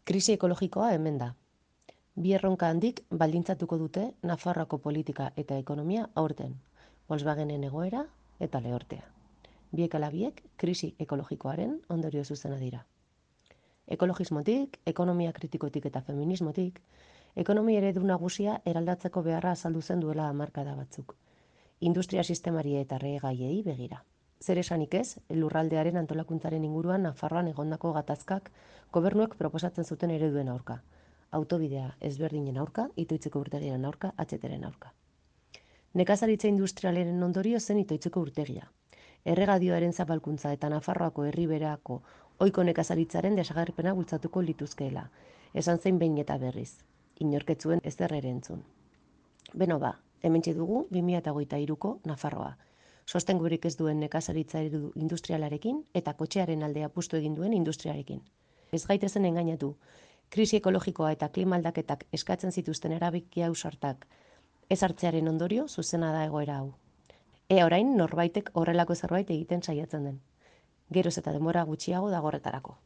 Krisi ekologikoa hemen da. Bi erronka handik baldintzatuko dute Nafarroako politika eta ekonomia aurten, Volkswagenen egoera eta lehortea. Biek ala biek krisi ekologikoaren ondorio zuzena dira. Ekologismotik, ekonomia kritikotik eta feminismotik, ekonomia eredu nagusia eraldatzeko beharra azaldu zen duela hamarkada batzuk. Industria sistemari eta erregaiei begira. Zer esanik ez, lurraldearen antolakuntzaren inguruan Nafarroan egondako gatazkak gobernuek proposatzen zuten ereduen aurka. Autobidea ezberdinen aurka, Itoitzeko urtegiaren aurka, atzeteren aurka. Nekazaritza industrialaren ondorio zen Itoitzeko urtegia. Erregadioaren zapalkuntza eta Nafarroako herriberako ohiko nekazaritzaren desagerpena bultzatuko lituzkeela. Esan zein behin eta berriz. Inorketzuen ezer ere entzun. Beno ba, hementxe dugu 2023ko Nafarroa. Sostengurik ez duen nekazaritza eredu industrialarekin eta kotxearen alde apustu egin duen industriarekin. Ez gaitezen engainatu, krisi ekologikoa eta klima aldaketak eskatzen zituzten erabaki ausartak ez hartzearen ondorio zuzena da egoera hau. Ea orain norbaitek horrelako zerbait egiten saiatzen den. Geroz eta denbora gutxiago dago horretarako.